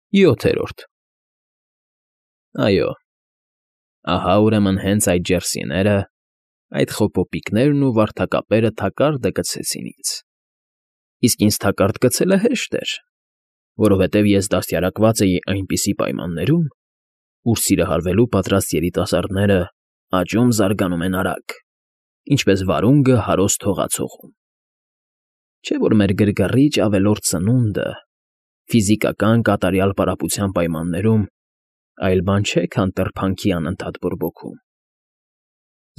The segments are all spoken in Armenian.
7-րդ Այո, ահա ուրեմն հենց այդ ջերսիները, այդ խոպոպիկներն ու վարդակապերը թակարդը գցեցին ինձ, իսկ ինձ թակարդ գցելը հեշտ էր, որովհետև ես դաստիարակված էի այնպիսի պայմաններում, ուր սիրահարվելու պատրաստ երիտասարդները աճում զարգանում են արագ, ինչպես վարունգը հարոստ հողացողում, չէ՞ որ մեր գրգռիչ ավելորդ սնունդը ֆիզիկական կատարյալ պարապության պայմաններում այլ բան չէ, քան տրփանքի անընդհատ բորբոքում.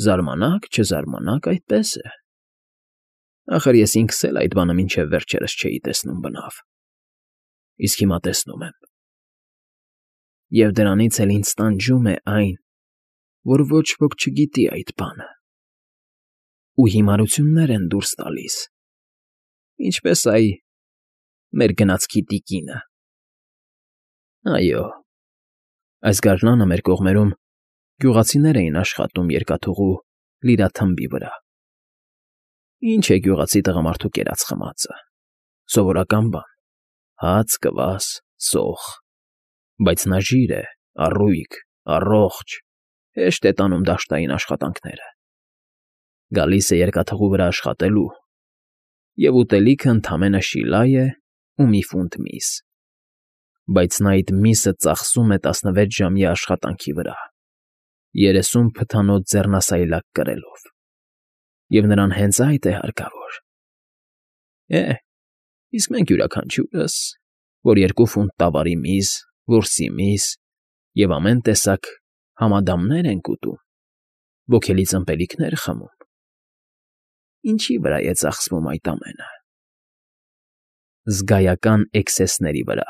զարմանաք, չզարմանաք, այդպես է, ախր ես ինքս էլ այդ բանը մինչև վերջերս չէի տեսնում բնավ, իսկ հիմա տեսնում եմ, և դրանից էլ ինձ տանջում է այն, որ ոչ ոք չգիտի այդ բանը, ու հիմարություններ են դուրս տալիս, ինչպես այ մեր գնացքի տիկինը. այո, այս գարնանը մեր կողմերում գյուղացիներ էին աշխատում երկաթուղու լիրաթմբի վրա. ինչ է գյուղացի տղամարդու կերած խմածը, սովորական բան, հաց, կվաս, սոխ, բայց նա ժիր է, առույգ, առողջ, հեշտ է տանում դաշտային աշխատանքները, գալիս է երկաթուղու վրա աշխատելու, և ուտելիքը ընդամենը շիլա է ու մի ֆունտ միս, բայց նա այդ միսը ծախսում է 16-ժամյա աշխատանքի վրա, 30 փթանոց ձեռնասայլակ կրելով, և նրան հենց այդ է հարկավոր, իսկ մենք յուրաքանչյուրս, որ 2 ֆունտ տավարի միս, որսի միս և ամեն տեսակ համադամներ ենք ուտում, ոգելի ըմպելիքներ խմում, ինչի՞ վրա է ծախսվում այդ ամենը, զգայական էքսեսների վրա,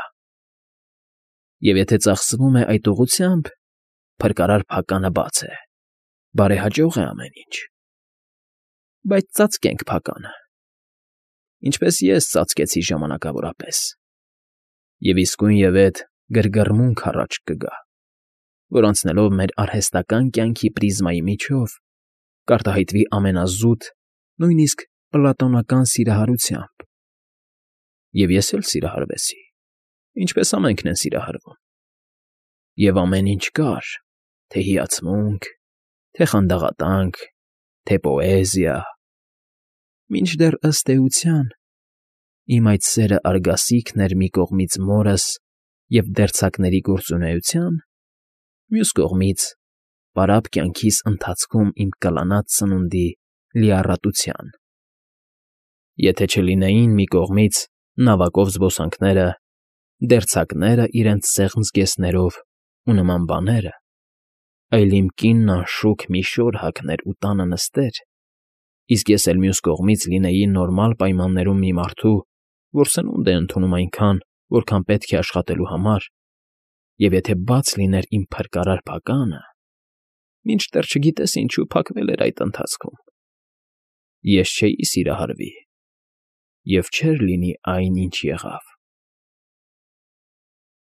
և եթե ծախսվում է այդ ուղղությամբ, փրկարար փականը բաց է, բարեհաճող է ամեն ինչ, բայց ծածկենք փականը, ինչպես ես ծածկեցի ժամանակավորապես, և իսկույնևեթ գրգռմունք առաջ կգա, որ անցնելով մեր արհեստական կյանքի պրիզմայի միջով կարտահայտվի ամենազուտ, նույնիսկ պլատոնական սիրահարությամբ, և ես էլ սիրահարվեցի, ինչպես ամենքն են սիրահարվում, և ամեն ինչ կար, թե հիացմունք, թե խանդաղատանք, թե պոեզիա, մինչդեռ, ըստ էության, իմ այդ սերը արգասիքն էր մի կողմից մորս և դերձակների գործունեության, մյուս կողմից պարապ կյանքիս ընթացքում իմ կլանած սնունդի լիառատության, եթե չլինեին մի կողմից նավակով զբոսանքները, դերձակները իրենց սեղմ զգեստներով ու նման բաները, այլ իմ կինն անշուք մի շոր հագներ ու տանը նստեր, իսկ ես էլ մյուս կողմից լինեի նորմալ պայմաններում մի մարդու, որ սնունդ է ընդունում այնքան, որքան պետք է աշխատելու համար, և եթե բաց լիներ իմ փրկարար փականը, մինչդեռ չգիտես ինչու փակվել էր այդ ընթացքում, ես չէի սիրահարվի, և չէր լինի այն, ինչ եղավ։